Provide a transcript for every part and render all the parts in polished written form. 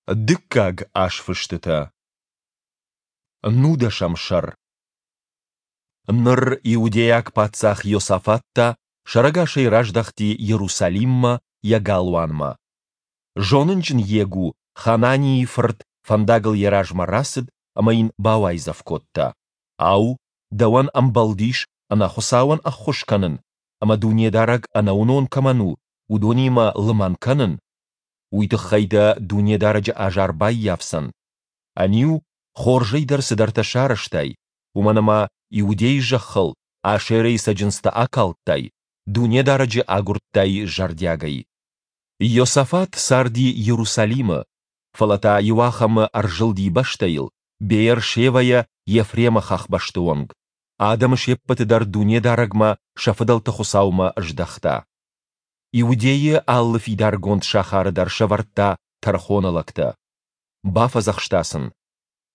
Дыккаг азфыстытӕ. Нудӕсӕм сӕр. Ныр иудейаг паддзах Иосафат та сӕрӕгасӕй раздӕхти Иерусалиммӕ, йӕ галуанмӕ. Зонынджын Йегу, Хананийы фырт, фӕндагыл йӕ размӕ рацыд ӕмӕ йын бауайдзӕф кодта: Ау, дӕуӕн ӕмбӕлдис ӕнӕхуыцауӕн ӕххуыс кӕнын ӕмӕ Дунедарӕг ӕнӕуынон кӕмӕн у, уыдонимӕ лымӕн кӕнын? Уый тыххӕй дӕ Дунедарӕджы азар баййафдзӕн. Ӕниу, хорзӕй дӕр цыдӕртӕ сарӕзтай, уымӕн ӕмӕ Иудейы зӕххыл Ашерӕйы цӕджындзтӕ акалдтай, Дунедарӕджы агуырдтай зӕрдиагӕй. Иосафат царди Иерусалимы, фӕлӕ та иуахӕмы ӕрзылди бӕстӕйыл, Беер-Шевӕйӕ Ефремы хӕхбӕсты онг, адӕмы се ппӕты дӕр Дунедарӕгмӕ, сӕ фыдӕлты Хуыцаумӕ, здӕхта. Иудейы алы фидаргонд сахары дӕр сӕвӕрдта тӕрхоны лӕгтӕ. Бафӕдзӕхста сын: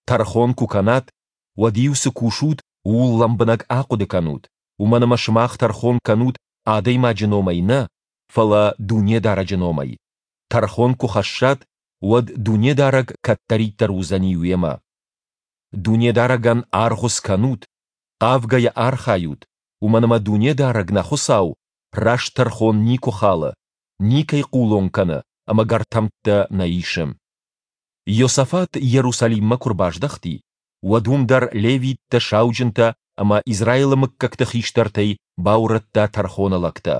Тӕрхон куы кӕнат, уӕд-иу цы кусут, ууыл лӕмбынӕг ахъуыды кӕнут, уымӕн ӕмӕ сымах тӕрхон кӕнут адӕймаджы номӕй нӕ, фӕлӕ Дунедарӕджы номӕй. Тӕрхон куы хӕссат, уӕд Дунедарӕг кӕддӕриддӕр уыдзӕни уемӕ. Дунедарӕгӕн аргъуыц кӕнут, хъавгӕйӕ архайут, уымӕн ӕмӕ Дунедарӕг нӕ Хуыцау раст тӕрхон никуы халы, никӕй хъулон кӕны ӕмӕ гӕртӕмттӕ нӕ исы. Иосафат Иерусалиммӕ куы рбаздӕхти, уӕд уым дӕр левиттӕ, сауджынтӕ ӕмӕ Израилы мыггӕгты хистӕртӕй баурӕдта тӕрхоны лӕгтӕ,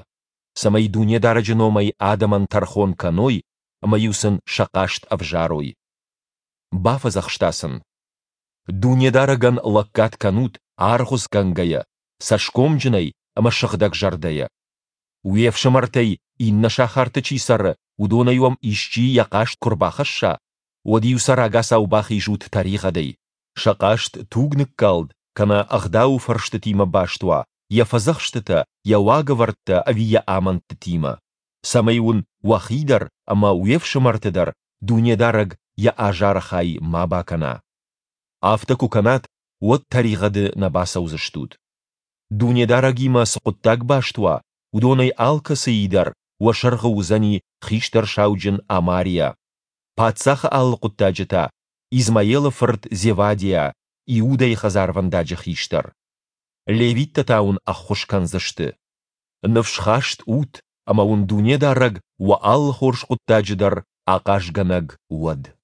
цӕмӕй Дунедарӕджы номӕй адӕмӕн тӕрхон кӕной ӕмӕ-иу сын сӕ хъаст ӕвзарой. Бафӕдзӕхста сын: Дунедарӕгӕн лӕггад кӕнут, аргъуыцгӕнгӕйӕ, цӕсгомджынӕй ӕмӕ сыгъдӕгзӕрдӕйӕ. Уе фсымӕртӕй иннӕ сахарты чи цӕры, уыдонӕй уӕм исчи йӕ хъаст куы рбахӕсса, уӕд-иу сӕ рагацау бахизут тӕригъӕдӕй, сӕ хъаст тугныккалд кӕнӕ ӕгъдауы фӕрстытимӕ баст уа, йӕ фӕдзӕхстытӕ, йӕ уагӕвӕрдтӕ ӕви йӕ амындтытимӕ, цӕмӕй уын уӕхи дӕр ӕмӕ уе фсымӕрты дӕр Дунедарӕг йӕ азары хай ма бакӕна. Афтӕ куы кӕнат, уӕд тӕригъӕды нӕ бацӕудзыстут. Дунедарӕгимӕ цы хъуыддаг баст уа, уыдонӕй алкӕцыйы дӕр уӕ сӕргъы уыдзӕни хистӕр сауджын Амариа, паддзахы алы хъуыддаджы та, Измаелы фырт Зевадиа, Иудӕйы хӕдзарвӕндаджы хистӕр. Левиттӕ та уын ӕххуыс кӕндзысты. Ныфсхаст ут, ӕмӕ уын Дунедарӕг уӕ алы хорз хъуыддаджы дӕр ахъазгӕнӕг уӕд.